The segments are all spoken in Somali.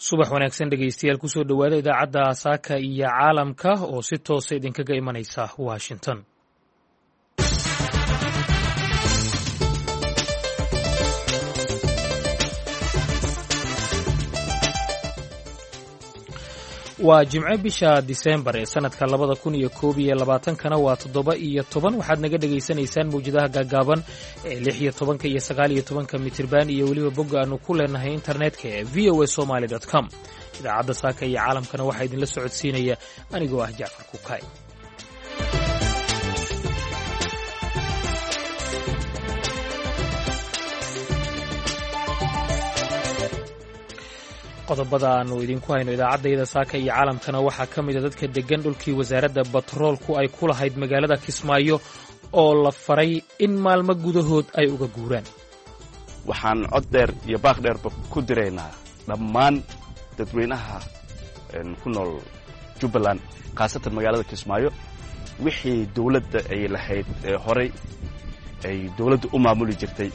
Subax wanaagsan, dhegeystayaal. Kusoo dhowaada idaacadda Saaka iyo Caalamka oo si toosa idinkaga imanaysa Washington. Waa Jimce, bisha Disembar ee sanadka 2021-kana waa 17. Waxaad naga dhegaysanaysaan mawjadaha gaagaaban ee 16-ka iyo 19-ka mitirban iyo weliba bogga aanu ku leenahay internetka ee voasomali com. Idaacadda Saaka iyo Caalamkana waxaa idinla socodsiinaya anigoo ah Jacfar Kukay. Qodobada aanu idinku hayno idaacaddayada Saaka iyo Caalamkana waxaa ka mida dadka deggan dhulkii wasaaradda batroolku ay ku lahayd magaalada Kismaayo oo la faray in maalmo gudahood ay uga guuraan. Waxaan cod dheer iyo baaq dheerba ku diraynaa dhammaan dadweynaha ku nool Jubbaland, khaasatan magaalada Kismaayo, wixii dawladda ay lahayd ee horay ay dawladda u maamuli jirtay,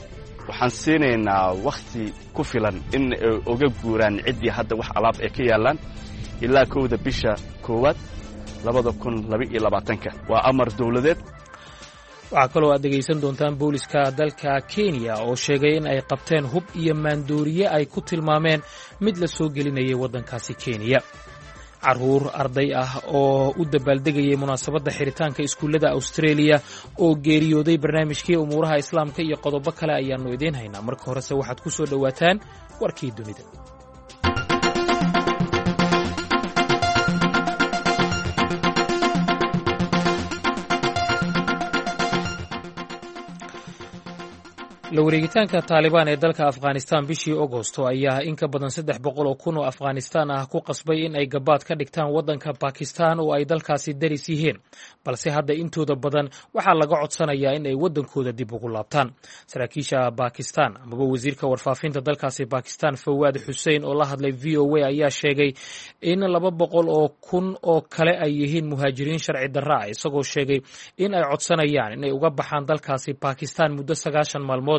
waxaan siinaynaa wakhti ku filan in ay uga guuraan ciddii hadda wax alaab ay ka yaallaan ilaa 1-da bisha koowaad 2022-ka. Waa amar dawladeed. Waxaa kaloo aad dhegaysan doontaan booliska dalka Kenya oo sheegay in ay qabteen hub iyo maandooriye ay ku tilmaameen mid la soo gelinayay waddankaasi Kenya, carruur arday ah oo u dabaaldegayay munaasabadda xiritaanka iskuullada Australia oo geeriyooday, barnaamijkii umuuraha Islaamka iyo qodobo kale ayaannu idiin haynaa. Marka horese waxaad ku soo dhowaataan warkii dunida. La wareegitaanka Taalibaan ee dalka Afghanistan bishii Agosto ayaa in ka badan 300,000 oo Afghanistan ah ku qasbay in ay gabaad ka dhigtaan waddanka Bakistan oo ay dalkaasi daris yihiin, balse hadda intooda badan waxaa laga codsanayaa in ay waddankooda dib ugu laabtaan. Saraakiisha Bakistan amaba wasiirka warfaafinta dalkaasi Bakistan, Fawaad Xussein, oo la hadlay VOA ayaa sheegay in 200,000 oo kale ay yihiin muhaajiriin sharci darra ah, isagoo sheegay in ay codsanayaan inay uga baxaan dalkaasi Bakistan muddo 90 maalmood,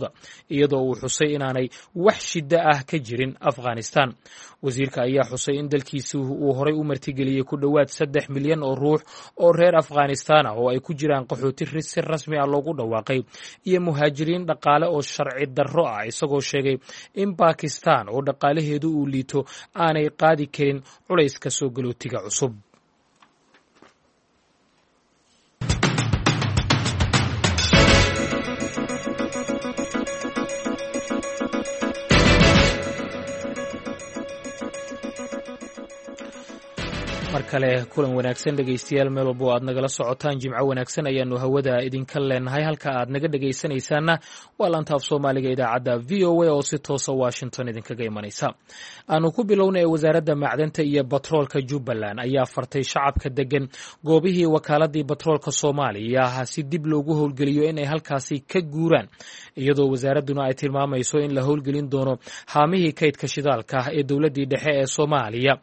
iyadoo uu xusay inaanay wax shiddo ah ka jirin Afghanistan. Wasiirka ayaa xusay in dalkiisu uu horay u martigeliyey ku dhowaad 3 milyan oo ruux oo reer Afghanistan ah, oo ay ku jiraan qaxooti si rasmi ah loogu dhawaaqay iyo muhaajiriin dhaqaale oo sharci darro ah, isagoo sheegay in Bakistan oo dhaqaalaheedu uu liito aanay qaadi karin culayska soo galootiga cusub. Mar kale kulan wanaagsan, dhegaystayaal, meel walba oo aad nagala socotaan, Jimco wanaagsan ayaanu hawada idinka leenahay. Halka aad naga dhegaysanaysaanna waa laanta af Soomaaliga idaacadda VOA oo si toosa Washington idinkaga imanaysa. Aanu ku bilownay, wasaaradda macdanta iyo batroolka Jubbaland ayaa fartay shacabka degan goobihii wakaaladii batroolka Soomaaliya si dib loogu howlgeliyo inay halkaasi ka guuraan, iyadoo wasaaradduna ay tilmaamayso in la howlgelin doono haamihii kaydka shidaalka ee dowladdii dhexe ee Soomaaliya.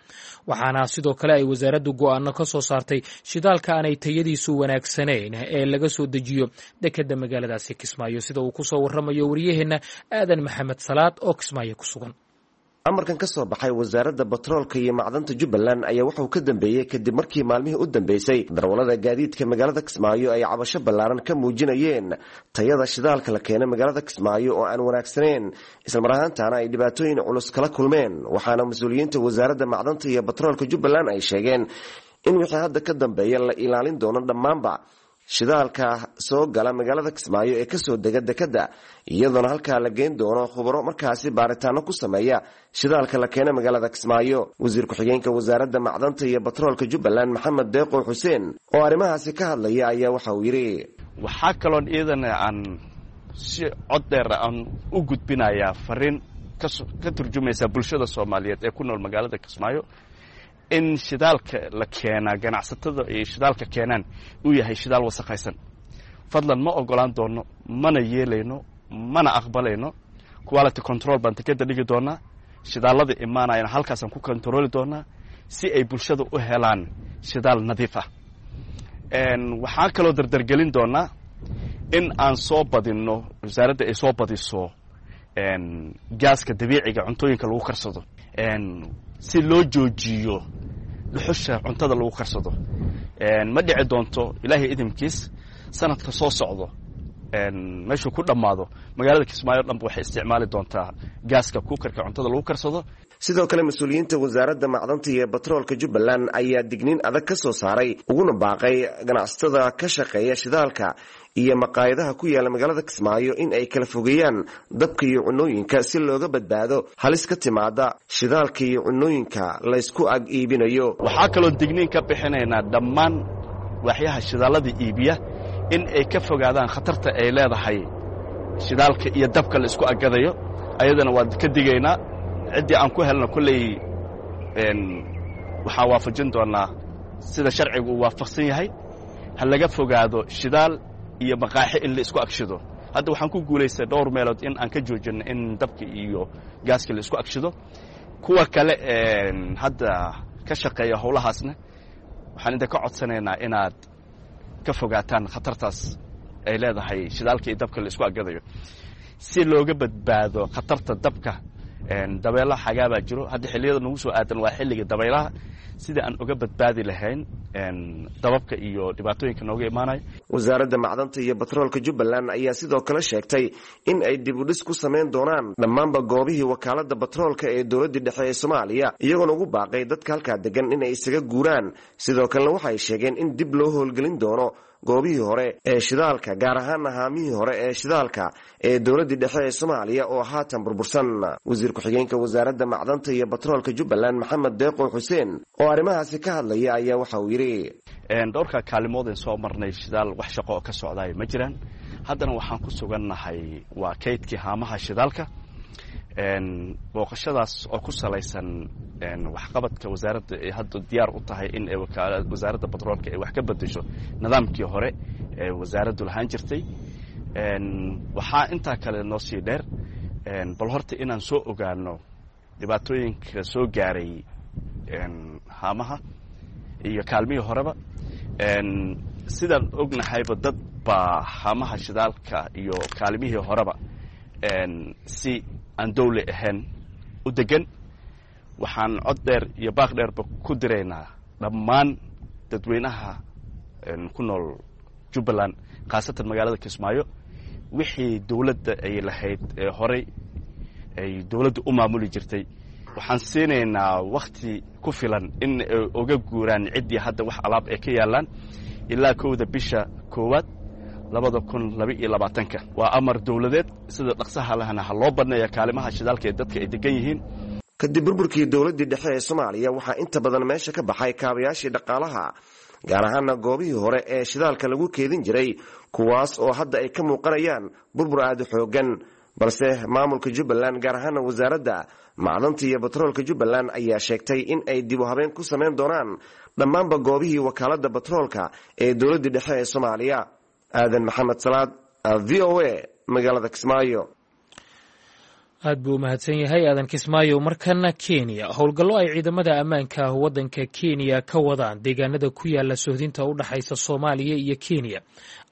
Waxaana sidoo kale ay wasaaraddu go'aano ka soo saartay shidaalka aanay tayadiisu wanaagsanayn ee laga soo dejiyo dekedda magaaladaasi Kismaayo, sida uu ku soo warramayo wariyaheenna Aadan Maxamed Salaad oo Kismaayo ku sugan. Amarkan ka soo baxay wasaaradda batroolka iyo macdanta Jubbaland ayaa wuxuu ka dambeeyey kadib markii maalmihii u dambeysay darwallada gaadiidka magaalada Kismaayo ay cabasho ballaaran ka muujinayeen tayada shidaalka la keenay magaalada Kismaayo oo aan wanaagsanayn, islamar ahaantaana ay dhibaatooyin culus kala kulmeen. Waxaana mas-uuliyiinta wasaaradda macdanta iyo batroolka Jubbaland ay sheegeen in wixii hadda ka dambeeya la ilaalin doono dhammaanba shidaalka soo gala magaalada Kismaayo ee kasoo dega dekadda, iyadoona halkaa la geyn doono khubaro markaasi baaritaano ku sameeya shidaalka la keena magaalada Kismaayo. Wasiir ku-xigeenka wasaaradda macdanta iyo batroolka Jubbaland, Maxamed Deeqo Xuseen, oo arrimahaasi ka hadlaya ayaa waxa uu yidhi: Waxaa kaloon iyadana aan si cod dheer aan u gudbinayaa fariin ka turjumaysa bulshada Soomaaliyeed ee ku nool magaalada Kismaayo in shidaalka la keenaa, ganacsatada ay shidaalka keenaan, uu yahay shidaal wasakhaysan. Fadlan, ma ogolaan doono, mana yeelayno, mana aqbalayno. Quality control baan dekeda dhigi doonaa, shidaalada imaanayana halkaasaan ku controli doonaa si ay bulshada u helaan shidaal nadiif ah. Waxaan kaloo dardargelin doonaa in aan soo badinno, wasaaradda ay soo badiso gaaska dabiiciga cuntooyinka lagu karsado. si loo joojiyo dhuxusha cuntada lagu karsado. Ma dhici doonto, Ilaahay idinkiis, sanadka soo socdo meeshuu ku dhammaado magaalada Kismaayo dhanba waxay isticmaali doontaa gaaska cooker-ka cuntada lagu karsado. Sidoo kale, mas-uuliyiinta Wasaaradda Macdanta iyo Batroolka Jubbaland ayaa digniin adag ka soo saaray uguna baaqay ganacsatada ka shaqeeya shidaalka iyo maqaayadaha ku yaala magaalada Kismaayo in ay kala fogeeyaan dabka iyo cunooyinka, si looga badbaado halis ka timaada shidaalka iyo cunooyinka laysku ag iibinayo. Waxaa kaloo digniin ka bixinaynaa dhammaan waaxyaha shidaalada iibiya in ay ka fogaadaan khatarta ay leedahay shidaalka iyo dabka la isku agadayo. Ayadana waan ka digaynaa. Ciddii aan ku helno kolley waxaan waafajin doonnaa sida sharcigu uu waafaqsan yahay. Ha laga fogaado shidaal iyo maqaaxi in la isku agshido. Hadda waxaan ku guulaystay dhowr meelood in aan ka joojinno in dabka iyo gaaska la isku agshido. Kuwa kale hadda ka shaqeeya howlahaasna waxaan idinka codsanaynaa inaad ka fogaataan khatartaas ay leedahay shidaalka iyo dabka la isku agadayo, si looga badbaado khatarta dabka. Dabeelaha xagaabaa jiro hadda, xilliyada nagu soo aadan waa xilliga dabaylaha, sida aan uga badbaadi lahayn dababka iyo dhibaatooyinka nooga imaanaya. Wasaaradda Macdanta iyo Batroolka Jubbaland ayaa sidoo kale sheegtay in ay dib u dhis ku samayn doonaan dhammaanba goobihii wakaaladda batroolka ee dowladdii dhexe ee Soomaaliya, iyagoona ugu baaqay dadka halkaa degan inay isaga guuraan. Sidoo kalena waxay sheegeen in dib loo howlgelin doono goobihii hore ee shidaalka, gaar ahaana haamihii hore ee shidaalka ee dowladdii dhexe ee Soomaaliya oo haatan burbursan. Wasiir ku-xigeenka Wasaaradda Macdanta iyo Batroolka Jubbaland, Maxamed Deeqo Xuseen, oo arrimahaasi ka hadlaya ayaa waxa uu yidhi: Dhowrka kaalimoodeen soo marnay, shidaal wax shaqo oo ka socdaaya ma jiraan. Haddana waxaan ku sugannahay waa kaydkii haamaha shidaalka. Booqashadaas oo ku salaysan waxqabadka wasaaradda ay hadda diyaar u tahay in ay Wasaaradda Batroolka ay wax ka bedesho nidaamkii hore ee wasaaraddu lahaan jirtay. Waxaa intaa kale noo sii dheer bal horta inaan soo ogaano dhibaatooyinka soo gaaray haamaha iyo kaalmihii horeba. Sidaan ognahayba, dad baa haamaha shidaalka iyo kaalmihii horeba si aan dawli ahayn u degan. Waxaan cod dheer iyo baaq dheerba ku diraynaa dhammaan dadweynaha ku nool Jubbaland, khaasatan magaalada Kismaayo, wixii dawladda ay lahayd ee horey ay dawladda u maamuli jirtay, waxaan siinaynaa wakti ku filan in ay uga guuraan ciddii hadda wax alaab ay ka yaallaan ilaa 1-da bisha 1-aad 2022-ka. Waa amar dawladeed. Sida dhaqsaha lahna ha loo banneeya kaalimaha shidaalka ee dadka ay degan yihiin. Kadib burburkii dowladdii dhexe ee Soomaaliya, waxaa inta badan meesha ka baxay kaabayaashii dhaqaalaha, gaar ahaana goobihii hore ee shidaalka lagu keedin jiray, kuwaas oo hadda ay ka muuqanayaan burbur aada u xoogan. Balse maamulka Jubbaland, gaar ahaana Wasaaradda Macdanta iyo Batroolka Jubbaland, ayaa sheegtay in ay dib u habeen ku samayn doonaan dhammaanba goobihii wakaaladda batroolka ee dowladdii dhexe ee Soomaaliya. Aadan Maxamed Salaad, VOA, magaalada Kismaayo. Aad buu u mahadsan yahay Aadan Kismaayo. Markana Kenya. Howlgallo ay ciidamada ammaanka waddanka Kenya ka wadaan deegaanada ku yaala sohdinta u dhexaysa Soomaaliya iyo Kenya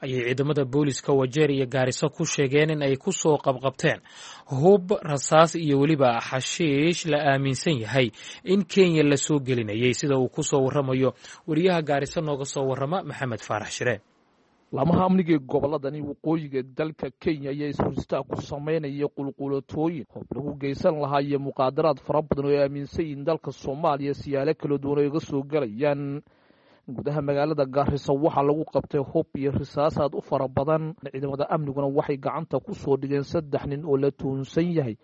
ayay ciidamada booliska Wajeer iyo Gaariso ku sheegeen in ay ku soo qabqabteen hub, rasaas iyo weliba xashiish la aaminsan yahay in Kenya lasoo gelinayay, sida uu ku soo waramayo wariyaha Gaariso nooga soo warrama, Maxamed Faarax Shire. Laamaha amniga ee gobolladani waqooyiga dalka Kenya ayaa is-horistaag ku samaynaya qulqulatooyin hoob lagu geysan lahaa iyo muqaadaraad fara badan oo ay aaminsan yihiin dalka Soomaaliya siyaalo kala duwan oo iga soo galayaan. Gudaha magaalada Gaarisa waxaa lagu qabtay hub iyo risaas aad u fara badan. Ciidamada amniguna waxay gacanta ku soo dhigeen saddex nin oo la tuhunsan yahay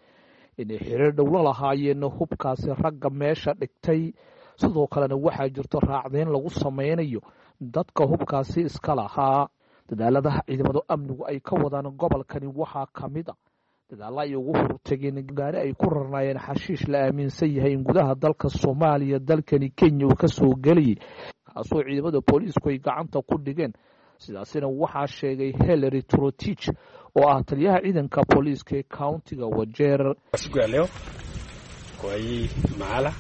inay xiriir dhow la lahaayeen hubkaasi ragga meesha dhigtay. Sidoo kalena waxaa jirto raacdeyn lagu samaynayo dadka hubkaasi iska lahaa. Dadaaladaha ciidamada amnigu ay ka wadaan gobolkani waxaa ka mid a dadaalla ay ugu hortageen gaari ay ku rarnaayeen xashiish la aaminsan yahay in gudaha dalka Soomaaliya dalkani Kenya uu ka soo gelayay, kaasoo ciidamada booliisku ay gacanta ku dhigeen. Sidaasina waxaa sheegay Hillary Trotich, oo ah taliyaha ciidanka booliiska ee countiga Wajeer. Siku ya leo kwa hii mahala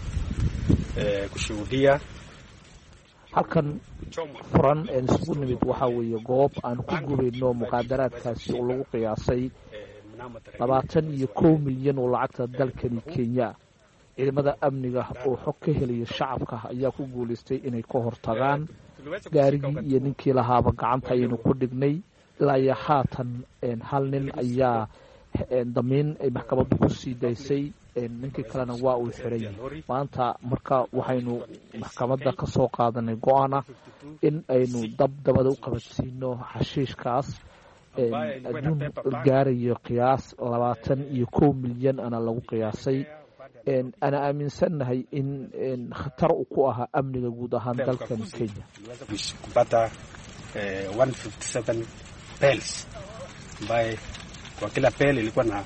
kushuhudia Halkan furan een isugu nimid waxaa weeye goob aan ku gubayno muqaadaraadkaasi oo lagu qiyaasay 21 milyan oo lacagta dalkani Kenya. Ciidamada amniga oo xog ka helaya shacabka ayaa ku guulaystay inay ka hortagaan. Gaarigii iyo ninkii lahaaba gacanta ayaynu ku dhignay. Ilaa iyo haatan hal nin ayaa damiin ay maxkamaddu ku sii daysay, ninkii kalena waa uu xiray maanta. Marka waxaynu maxkamadda ka soo qaadanay go-aan ah in aynu dab dabada u qabadsiino xashiishkaas adduun gaarayo qiyaas 21 milyan ana lagu qiyaasay, ana aaminsannahay in khatar u ku ahaa amniga guud ahaan dalkan Kenya. Kupata 157 bales ambaye kwa kila bale ilikuwa na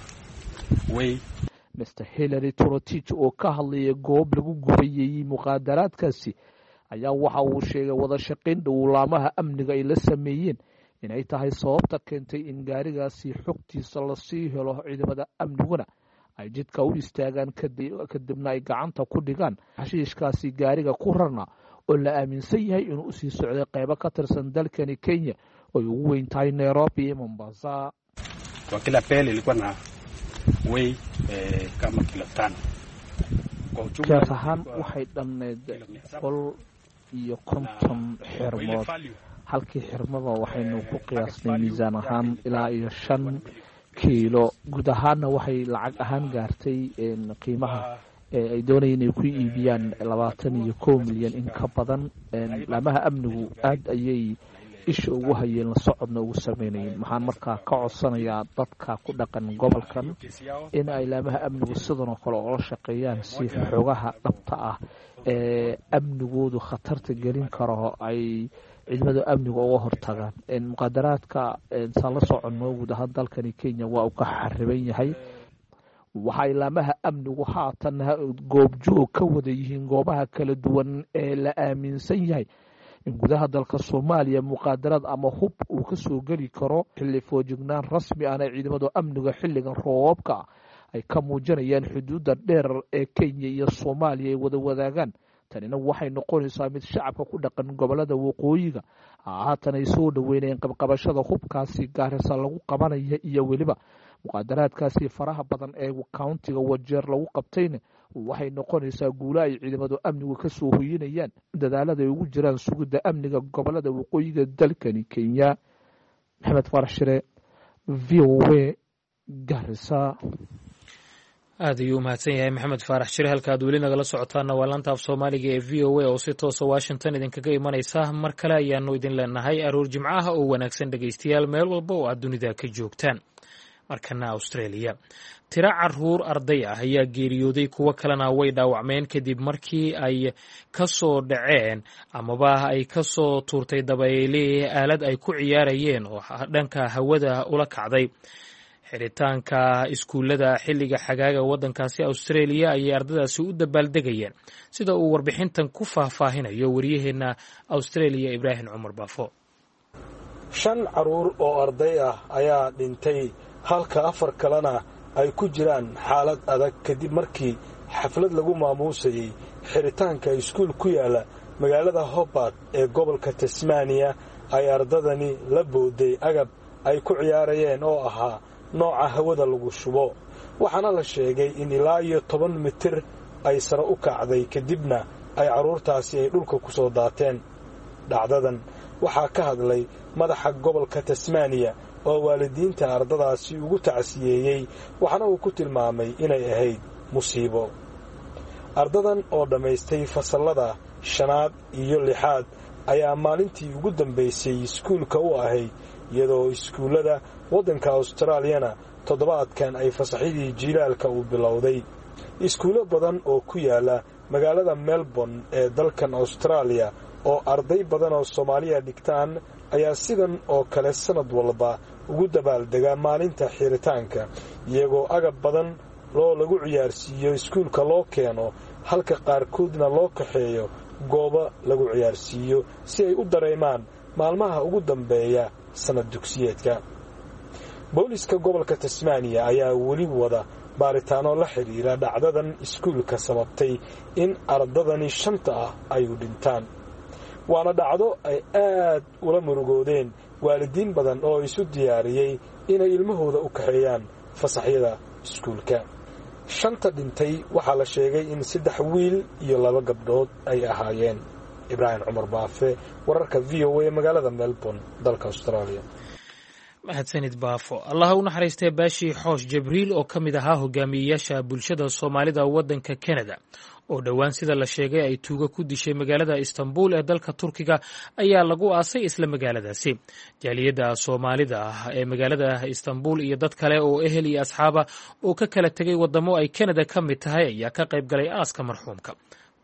weigh Mr Hillary Torotich oo ka hadlaya goob lagu gubayayey muqaadaraadkaasi ayaa waxa uu sheegay wada shaqayn dhowlaamaha amniga ay la sameeyeen inay tahay sababta keentay in gaarigaasi xogtiisa lasii helo, ciidamada amniguna ay jidka u istaagaan, kadibna ay gacanta ku dhigaan xashiishkaasi gaariga ku rarna oo la aaminsan yahay inuu usii socday qaybo ka tirsan dalkani Kenya oy ugu weyn tahay Nairobi iyo Mombasa. Kwa kila bale ilikuwa na weigh kama kilo 5. Qiyaas ahaan waxay dhamneyd 150 xirmood. Halkii xirmaba waxaynu ku qiyaasnay miisaan ahaan ilaa iyo 5 kiilo. Guud ahaanna waxay lacag ahaan gaartay qiimaha ay doonayeen inay ku iibiyaan 21 milyan in ka badan. Laamaha amnigu aada ayay isha ugu hayeen, la socodna ugu sameynayeen. Waxaan markaa ka codsanayaa dadka ku dhaqan gobolkan in ay laamaha amnigu sidan oo kale oola shaqeeyaan, si xogaha dhabta ah ee amnigoodu khatarta gelin karo ay ciidamada amniga uga hortagaan. Muqaadaraadka saan la soconno guud ahaan dalkani Kenya waa uu ka xariban yahay. Waxay laamaha amnigu haatan goobjoog ka wada yihiin goobaha kala duwan ee la aaminsan yahay in gudaha dalka Soomaaliya muqaadaraad ama hub uu ka soo geli karo, xilli foojignaan rasmi ahna ciidamada amniga xilligan roobabka ay ka muujinayaan xuduudda dheer ee Kenya iyo Soomaaliya ay wada wadaagaan. Tanina waxay noqonaysaa mid shacabka ku dhaqan gobolada waqooyiga haatan ay soo dhaweynayeen qabqabashada hubkaasi Gaarisa lagu qabanaya iyo weliba muqaadaraadkaasi faraha badan ee countiga Wajeer lagu qabtayna. Waxay noqonaysaa guulo ay ciidamadu amnigu ka soo hoyinayaan dadaalada ay ugu jiraan sugidda amniga gobolada waqooyiga dalkani Kenya. Maxamed Faarax Shire, VOA, Garisa. Aad ayuu u mahadsan yahay Maxamed Faarax Shire. Halka aad weli nagala socotaana waa laanta af Soomaaliga ee VOA oo si toosa Washington idinkaga imanaysa. Mar kale ayaanu idin leenahay aroor Jimcaha oo wanaagsan, dhegaystayaal, meel walba oo aad dunida ka joogtaan. Markana Australia, tiro caruur arday ah ayaa geeriyooday, kuwo kalena way dhaawacmeen kadib markii ay ka soo dhaceen amaba ay ka soo tuurtay dabayli aalad ay ku ciyaarayeen oo dhanka hawada ula kacday. Xiritaanka iskuullada xilliga xagaaga waddankaasi Australia ayay ardadaasi u dabaaldegayeen, sida uu warbixintan ku faahfaahinayo wariyaheenna Australia, Ibraahim Cumar Baafo. Shan carruur oo arday ah ayaa dhintay, halka afar kalena ay ku jiraan xaalad adag, kadib markii xaflad lagu maamuusayey xiritaanka iskuul ku yaala magaalada Hobart ee gobolka Tasmaniya ay ardadani la booday agab ay ku ciyaarayeen oo ahaa nooca hawada lagu shubo. Waxaana la sheegay in ilaa iyo 10 mitir ay sare u kacday, kadibna ay carruurtaasi ay dhulka ku soo daateen. Dhacdadan waxaa ka hadlay madaxa gobolka Tasmaniya oo waalidiinta ardadaasi ugu tacsiyeeyey, waxaana uu ku tilmaamay inay ahayd musiibo. Ardadan oo dhammaystay fasallada shanaad iyo lixaad ayaa maalintii ugu dambaysay iskuulka u ahayd, iyadoo iskuullada waddanka Austraaliyana toddobaadkan ay fasaxyadii jiilaalka uu bilowday. Iskuullo badan oo ku yaala magaalada Melbourne ee dalkan Austraaliya oo arday badan oo Soomaaliya dhigtaan ayaa sidan oo kale sannad walba ugu dabaaldegaa maalinta xiritaanka, iyagoo agab badan loo lagu ciyaarsiiyo iskuulka loo keeno, halka qaarkoodna loo kaxeeyo goobo lagu ciyaarsiiyo si ay u dareemaan maalmaha ugu dambeeya sannad dugsiyeedka. Booliska gobolka Tasmaniya ayaa weli wada baaritaano la xidhiira dhacdadan iskuulka sababtay in ardadani shanta ah ay u dhintaan, waana dhacdo ay aad ula murugoodeen waalidiin badan oo isu diyaariyey inay ilmahooda u kaxeeyaan fasaxyada iskuulka. Shanta dhintay waxaa la sheegay in 3 wiil iyo 2 gabdhood ay ahaayeen. Ibraahim Cumar Baafe, wararka VOA, magaalada Melbourne, dalka Australia. Mahadsanid Baafo. Allaha u naxariistee Baashi Xoosh Jibriil oo ka mid ahaa hogaamiyeyaasha bulshada Soomaalida waddanka Canada oo dhowaan sida la sheegay ay tuugo ku dishay magaalada Istanbul ee dalka Turkiga ayaa lagu aasay isla magaaladaasi. Jaaliyadda Soomaalida ah ee magaalada Istanbul iyo dad kale oo ehel iyo asxaaba oo ka kala tegay waddamo ay Canada ka mid tahay ayaa ka qayb galay aaska marxuumka.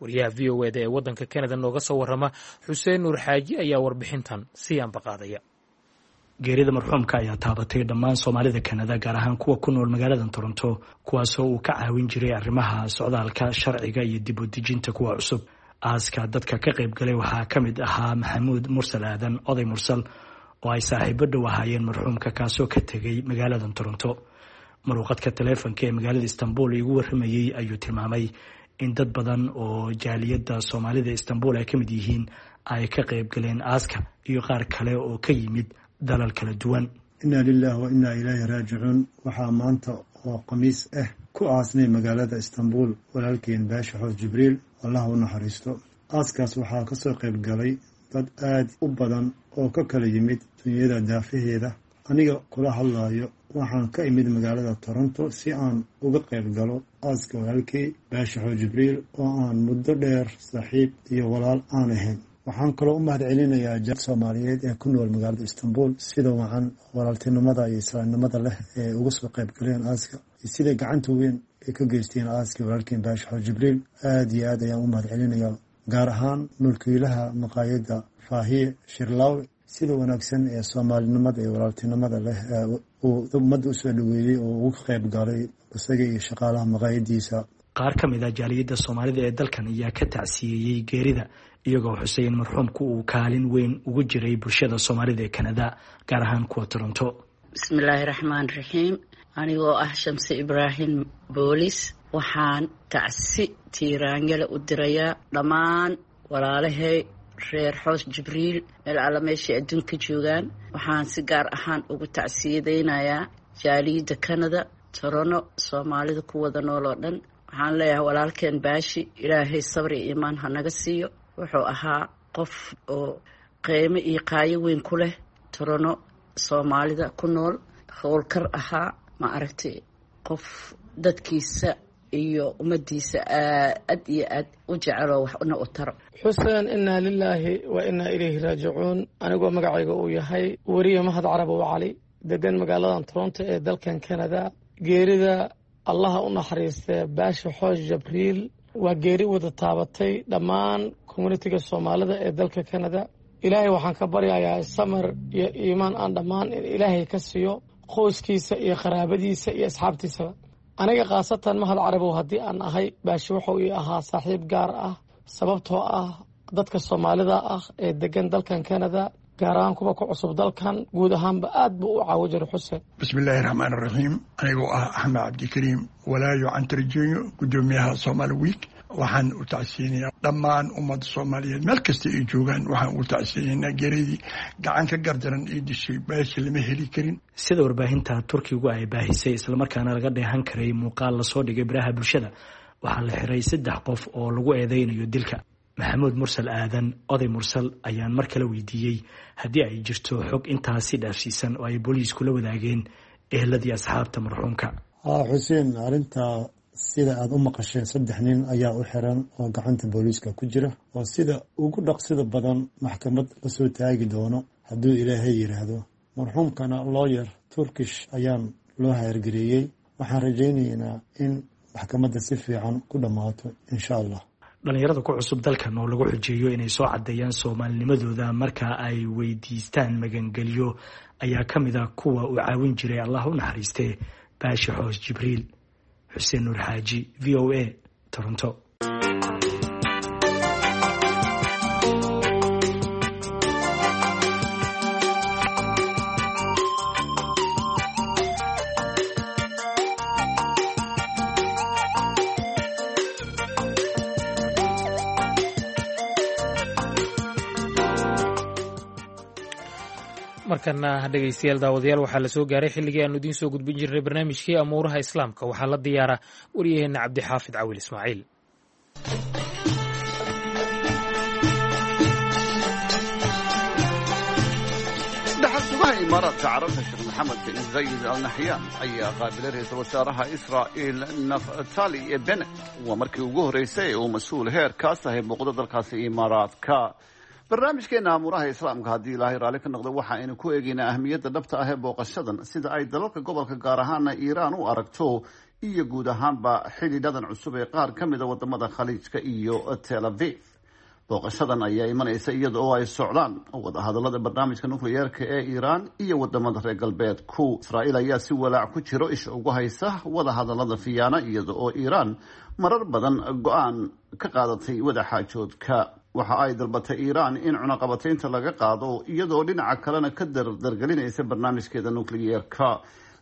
Wariyaha VOA da ee waddanka Canada nooga soo warrama, Xuseen Nuur Xaaji, ayaa warbixintan sii ambaqaadaya. Geerida marxuumka ayaa taabatay dhammaan Soomaalida Kanada, gaar ahaan kuwa ku nool magaalada Toronto, kuwaasoo uu ka caawin jiray arrimaha socdaalka, sharciga iyo dib u dejinta kuwa cusub. Aaska dadka ka qayb galay waxaa ka mid ahaa Maxamuud Mursal Aadan, Oday Mursal, oo ay saaxiibo dhow ahaayeen marxuumka, kaasoo ka tegay magaalada Toronto. Maruuqadka taleefonka ee magaalada Istanbul igu warramayey ayuu tilmaamay in dad badan oo jaaliyadda Soomaalida Istanbul ay ka mid yihiin ay ka qayb galeen aaska iyo qaar kale oo ka yimid dalal kala duwan. Inna lilah wa innaa ilayhi raajicuun. Waxaa maanta oo Khamiis ah ku aasnay magaalada Istanbul walaalkeen Baasha Xoos Jibriil, Allah u naxariisto. Aaskaas waxaa kasoo qayb galay dad aad u badan oo ka kala yimid dunyada daafaheeda. Aniga kula hadlayo waxaan ka imid magaalada Toronto si aan uga qayb galo aaska walaalkey Baasha Xoos Jibriil oo aan muddo dheer saaxiib iyo walaal aan ahayn. Waxaan kaloo u mahad celinayaa jaaliyadda Soomaaliyeed ee ku nool magaalada Istanbul sida wacan walaaltinimada iyo islaamnimada leh ee uga soo qayb galeen aaska iyo sida gacanta weyn ay ka geysteen aaskii walaalkeen Baasha Xoos Jibriil. Aada iyo aad ayaan u mahad celinayaa, gaar ahaan mulkiilaha maqaayadda Faahiye Shirlaawe, sida wanaagsan ee soomaalinimada iyo walaaltinimada leh uu ummadda usoo dhaweeyey oo uga qayb galay isaga iyo shaqaalaha maqaayadiisa. Qaar ka mid ah jaaliyadda Soomaalida ee dalkan ayaa ka tacsiyeeyey geerida, iyagoo xusay in marxuumku uu kaalin weyn ugu jiray bulshada Soomaalida ee Kanada, gaar ahaan kuwa Toronto. Bismillaahi raxmaan raxiim. Anigoo ah Shamse Ibraahim Boolis, waxaan tacsi tiiraanyale u dirayaa dhammaan walaalahay reer Xoos Jibriil meel alla meeshay adduunka joogaan. Waxaan si gaar ahaan ugu tacsiyadaynayaa jaaliyadda Kanada, Toronto, Soomaalida ku wada nool oo dhan. Waxaan leeyahay walaalkeen Baashi, Ilaahay sabri iyo iimaan ha naga siiyo. Wuxuu ahaa qof oo qiimo iyo qaayo weyn ku leh Toronto, Soomaalida ku nool, howlkar ahaa, ma aragtay, qof dadkiisa iyo ummadiisa aad iyo aad u jeceloo waxna u taro. Xuseen, innaa lilaahi wa innaa ilayhi raajicuun. Anigoo magacayga uu yahay weriye Mahad Carabow Cali, degan magaaladan Toronto ee dalkan Canada, geerida Allaha u naxariistee Baasha Xoosh Jabriil waa geeri wada taabatay dhammaan communitiga Soomaalida ee dalka Canada. Ilaahay waxaan ka baryayaa samar iyo iimaan aan dhammaan in Ilaahay ka siiyo qoyskiisa iyo qaraabadiisa iyo asxaabtiisaba. Aniga khaasatan Mahad Carabow haddii aan ahay, Baashi wuxuu ii ahaa saaxiib gaar ah, sababtoo ah dadka Soomaalida ah ee degan dalkan Canada, gaar ahaan kuwa ku cusub dalkan, guud ahaanba aad buu u caawo jiray, Xuseen. Bismillaahi raxmaan raxiim. Anigoo ah Axmed Cabdikariim Walaayo Cantarjeeyo, guddoomiyaha Somaali Week, waxaan u tacsiyeynayaa dhammaan ummadda Soomaaliyeed meel kasta ay joogaan. Waxaan u tacsiyeynaynaa geeridii gacan ka gardaran ii dishay Baashi. Lama heli karin. Sida warbaahinta Turkigu ay baahisay, islamarkaana laga dheehan karay muuqaal lasoo dhigay baraha bulshada, waxaa la xiray 3 qof oo lagu eedeynayo dilka. Maxamuud Mursal Aadan, Oday Mursal, ayaan mar kale weydiiyey haddii ay jirto xog intaasi dhaafsiisan oo ay booliisku la wadaageen ehladii asxaabta marxuumka. Haa Xuseen, arrintaa sida aada u maqasheen, 3 nin ayaa u xiran oo gacanta booliiska ku jira, oo sida ugu dhaqsida badan maxkamad lasoo taagi doono hadduu Ilaahay yidhaahdo. Marxuumkana lawyer Turkish ayaan loo hayrgareeyey. Waxaan rajaynaynaa in maxkamadda si fiican ku dhammaato, insha Allah. Dhalinyarada ku cusub dalkan oo lagu xujeeyo inay soo caddeeyaan soomaalinimadooda marka ay weydiistaan magangelyo ayaa ka mid a kuwa uu caawin jiray, Allah u naxariistee, Baashi Xoos Jibriil. Xuseen Nuur Xaaji, VOA, Toronto. Markana dhegeystayaal, daawadayaal, waxaa la soo gaaray xilligii aanu idiin soo gudbin jirnay barnaamijkii amuuraha islaamka. Waxaa la diyaara waryaheena Cabdixaafid Cawil Ismaaciil. Dhaxal-sugaha Imaaraadka Carabta Sheekh Maxamed bin Zayid Al Naxyaan ayaa qaabilay ra-iisul wasaaraha Israa'il Naftali Bennett. Waa markii ugu horreysay ee uu mas-uul heerkaas ahay muuqdo dalkaasi Imaaraadka. Barnaamijkeena amuuraha islaamka, haddii Ilaahay raalli ka noqdo, waxa aynu ku eegaynaa ahmiyadda dhabta ah ee booqashadan, sida ay dalalka gobolka, gaar ahaana Iiraan, u aragto, iyo guud ahaanba xidhiidhadan cusub ee qaar ka mida wadamada Khaliijka iyo Tel Aviv. Booqashadan ayaa imanaysa iyada oo ay socdaan wadahadalada barnaamijka nukliyeerka ee Iiraan iyo wadamada reer galbeedku. Israa'iil ayaa si walaac ku jiro isha ugu haysa wadahadalada Fiyaana, iyada oo Iiraan marar badan go-aan ka qaadatay wadaxaajoodka. Waxa ay dalbatay Iiraan in cunaqabataynta laga qaado, iyadoo dhinaca kalena ka dardargelinaysa barnaamijkeeda nukliyeerka.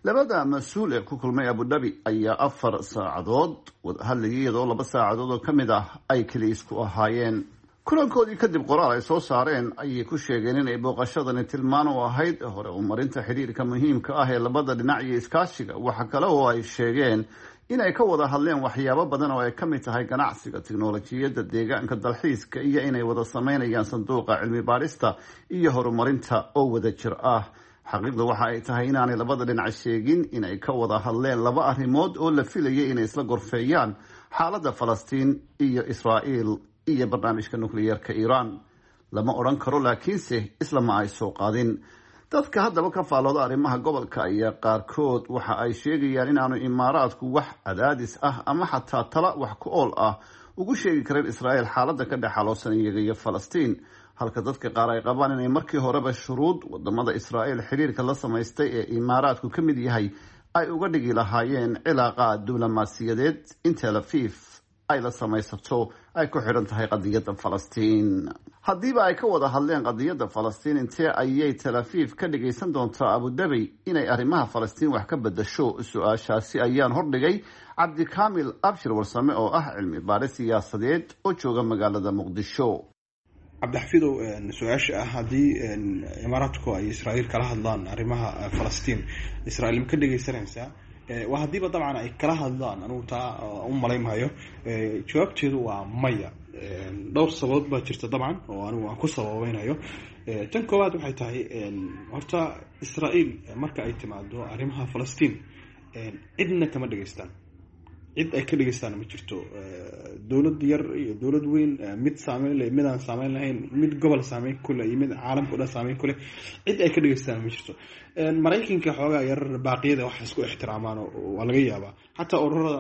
Labada mas-uul ee ku kulmay Abudhabi ayaa 4 saacadood wada hadlayay, iyadoo 2 saacadood oo ka mid ah ay keli isku ahaayeen. Kulankoodii kadib, qoraal ay soo saareen ayay ku sheegeen inay booqashadani tilmaan u ahayd hore umarinta xidhiirka muhiimka ah ee labada dhinac iyo iskaashiga. Waxa kale oo ay sheegeen inay ka wada hadleen waxyaabo badan oo ay ka mid tahay ganacsiga, tiknolojiyadda, deegaanka, dalxiiska iyo inay wada sameynayaan sanduuqa cilmi baadhista iyo horumarinta oo wada jir ah. Xaqiiqda waxa ay tahay inaanay labada dhinac sheegin inay ka wada hadleen laba arrimood oo la filayay inay isla gorfeeyaan: xaaladda Falastiin iyo Israa'iil iyo barnaamijka nukliyeerka Iiraan. Lama odhan karo, laakiinse isla ma ay soo qaadin. Dadka haddaba ka faallooda arrimaha gobolka ayaa qaarkood waxa ay sheegayaan inaanu Imaaraadku wax cadaadis ah ama xataa tala wax ku ool ah ugu sheegi karin Israa'iil xaaladda ka dhex xaloosan iyaga iyo Falastiin, halka dadka qaar ay qabaan inay markii horeba shuruud wadamada Israa'iil xiriirka la samaystay ee Imaaraadku ka mid yahay ay uga dhigi lahaayeen cilaaqaad diblomaasiyadeed in Tel Aviv ay la samaysato ay ku xidhan tahay qadiyadda Falastiin. Haddiiba ay ka wada hadleen qadiyadda Falastiin, intee ayay Tel Aviv ka dhagaysan doontaa Abudabi inay arrimaha Falastiin wax ka bedasho? Su-aashaasi ayaan hordhigay Cabdikaamil Abshir Warsame oo ah cilmi baadhi siyaasadeed oo jooga magaalada Muqdisho. Cabdixafidow, su-aasha ah haddii Imaaraadku ay Israa'iil kala hadlaan arrimaha Falastiin, Israa'iil ma ka dhegeysanaysaa? Waa haddiiba dabcan ay kala hadlaan, anugu taa u malaynmahayo. Jawaabteedu waa maya. Dhowr sababood baa jirta dabcan oo anigu aan ku sababeynayo. Tan koowaad waxay tahay, horta Israa'iil marka ay timaado arrimaha Falastiin cidna kama dhegeystaan, cid ay ka dhegeystaan ma jirto. Dowlad yar iyo dowlad weyn, mid saameyn leh, mid aan saameyn lahayn, mid gobol saameyn ku leh iyo mid caalamka o dhan saameyn ku leh, cid ay ka dhegeystaan ma jirto. Maraykanka xoogaa yar baaqiyada wax isku ixtiraamaan waa laga yaabaa, xataa ururada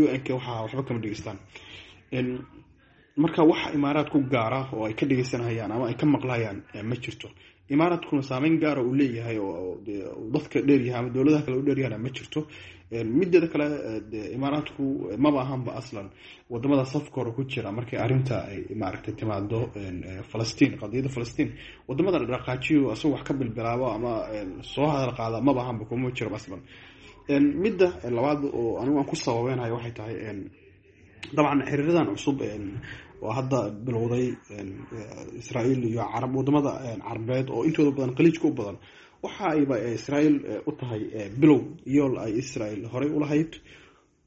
UN-ka waxaa waxba kama dhegeystaan. Marka wax Imaaraad ku gaara oo ay ka dhegeysanayaan ama ay ka maqlayaan ma jirto. Imaaraadkuna saameyn gaara uu leeyahay oo dadka dheeryahay ama dowladaha kale u dheeryahana ma jirto. Mideeda kale, Imaaraadku maba ahanba aslan wadamada safka hore ku jira markay arrinta ay maaragtay timaado Falastiin, qadiyadda Falastiin. Wadamada dhaqaajiyo asagoo wax ka bilbilaabo ama soo hadal qaada maba ahanba, kuma jiro aslan. Midda labaad oo anigu aan ku sababeynayo waxay tahay, dabcan xiriiradan cusub oo hadda bilowday Israa'iil iyo Carab, wadamada Carbeed oo intooda badan Khaliijka u badan, waxa ayba Israa'iil u tahay bilow yool ay Israa'iil horey u lahayd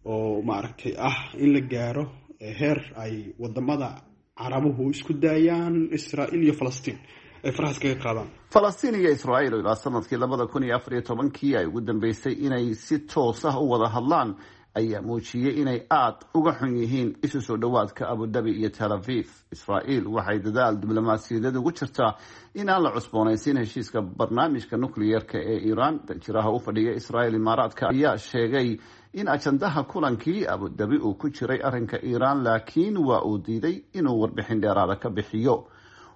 oo maaragtay ah in la gaaro heer ay wadamada Carabuhu isku daayaan Israa'iil iyo Falastiin, ay farahaas kaga qaadaan. Falastiin iyo Israa'iil oo ilaa sanadkii 2014-kii ay ugu dambeysay inay si toos ah u wada hadlaan ayaa muujiyey inay aada uga xun yihiin isu soo dhowaadka Abudabi iyo Tel Aviv. Israa'iil waxay dadaal diblomaasiyadeed ugu jirtaa in aan la cusboonaysiin heshiiska barnaamijka nukliyeerka ee Iiraan. Danjiraha u fadhiya Israa'iil Imaaraadka ayaa sheegay in ajandaha kulankii Abudabi uu ku jiray arrinka Iiraan, laakiin waa uu diiday inuu warbixin dheeraada ka bixiyo.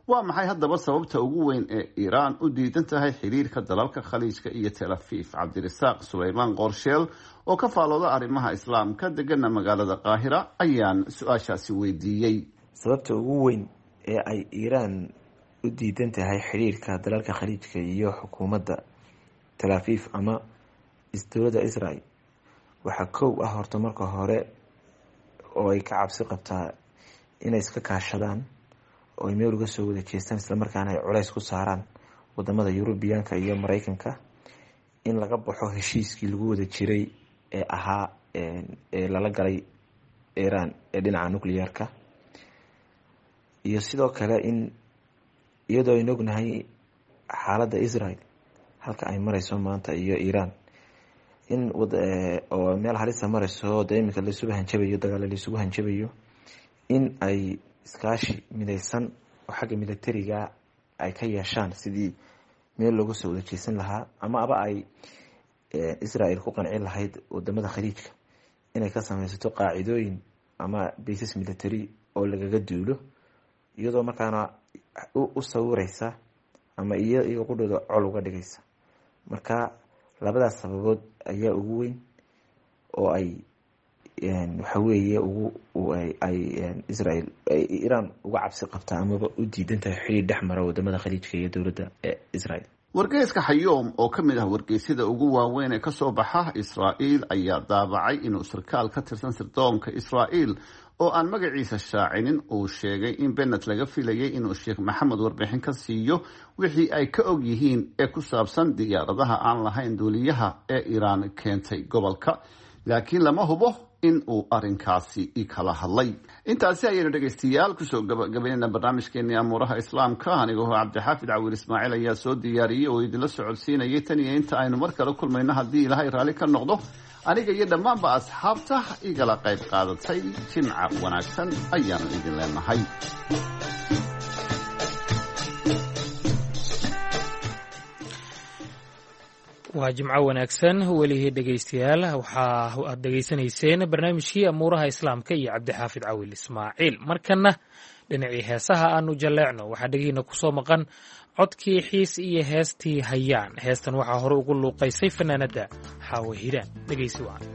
Waa maxay haddaba sababta ugu weyn ee Iiraan u diidan tahay xiriirka dalalka Khaliijka iyo Tel Aviv? Cabdirasaaq Sulaymaan Qoorsheel oo ka faalooda arrimaha islaamka, degana magaalada Qaahira, ayaan su-aashaasi weydiiyey. Sababta ugu weyn ee ay Iiraan u diidan tahay xiriirka dalalka Khaliijka iyo xukuumadda Tel Aviv ama dowladda Israel waxaa kow ah, horta marka hore, oo ay ka cabsi qabtaa inay iska kaashadaan oo ay meel uga soo wada jeestaan, islamarkaana ay culays ku saaraan wadamada Yurubiyaanka iyo Mareykanka in laga baxo heshiiskii lagu wada jiray ee ahaa ee lala galay Iran ee dhinaca nuclearka, iyo sidoo kale in iyadoo aynu ognahay xaaladda Israel halka ay mareyso maanta iyo Iran in oo meel halisa mareyso, dee iminka laisugu hanjabayo, dagaalo laisugu hanjabayo, in ay iskaashi mideysan oo xagga militariga ay ka yeeshaan sidii meel looga soo wada jeesan lahaa, ama aba ay Israel ku qancin lahayd wadamada Khaliijka inay ka sameysato qaacidooyin ama bases military oo lagaga duulo, iyadoo markaana u sawireysa ama iyaga qudhooda col uga dhigaysa. Marka labadaas sababood ayaa ugu weyn oo ay waxaweeye ugu ay Israel ay Iran uga cabsi qabtaa amaba u diidan tahay xiriir dhex mara wadamada Khaliijka iyo dowladda Israel. Wargeyska Xayoom oo ka mid ah wargeysyada ugu waaweyn ee kasoo baxa Israa'iil ayaa daabacay inuu sarkaal ka tirsan sirdoonka Israa'iil oo aan magaciisa shaacinin uu sheegay in Bennett laga filayay inuu Sheekh Maxamed warbixin ka siiyo wixii ay ka og yihiin ee ku saabsan diyaaradaha aan lahayn duuliyaha ee Iiraan keentay gobolka, laakiin lama hubo in uu arrinkaasi kala hadlay. Intaasi ayaynu dhegaystayaal kusoo gabagabaynayna barnaamijkeenii amuuraha Islaamka. Anigoo Cabdixaafid Cawiil Ismaaciil ayaa soo diyaariyey oo idinla socodsiinayay. Tan iyo inta aynu mar kale kulmayno, haddii Ilaahay raalli ka noqdo, aniga iyo dhammaanba asxaabta igala qayb qaadatay, jimca wanaagsan ayaanu idin leenahay. Waa jimco wanaagsan welihii dhegaystayaal. Waxaa aad dhegaysanayseen barnaamijkii amuuraha Islaamka iyo Cabdixaafid Cawil Ismaaciil. Markanna dhinacii heesaha aanu jalleecno. Waxaa dhegihiina ku soo maqan codkii Xiis iyo heestii Hayaan. Heestan waxaa hore ugu luuqaysay fanaanadda Xaawo Hiiraan. Dhegaysi wacan.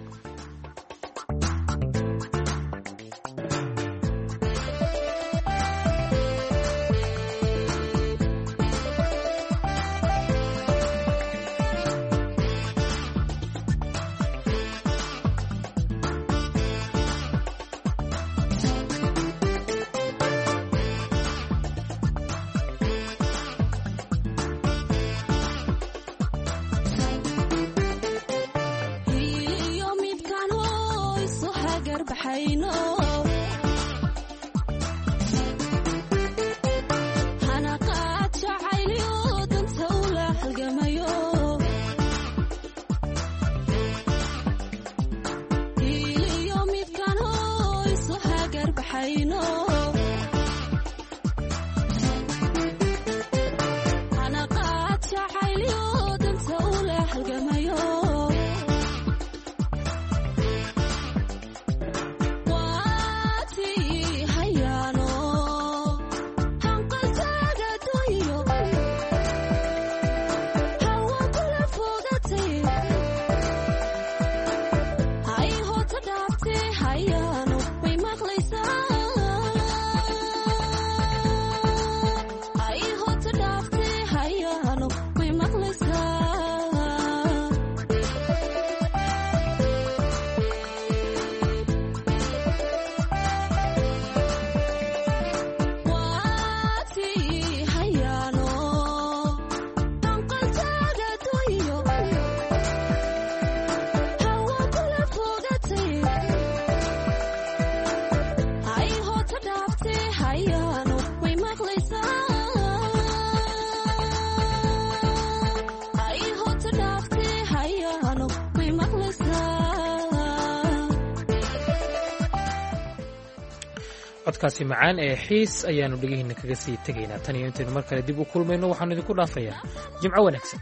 Codkaasi macaan ee Xiis ayaannu dhegihiinna kaga sii tegaynaa. Tan iyo intaynu mar kale dib u kulmayno, waxaanu idinku dhaafayaa jimco wanaagsan.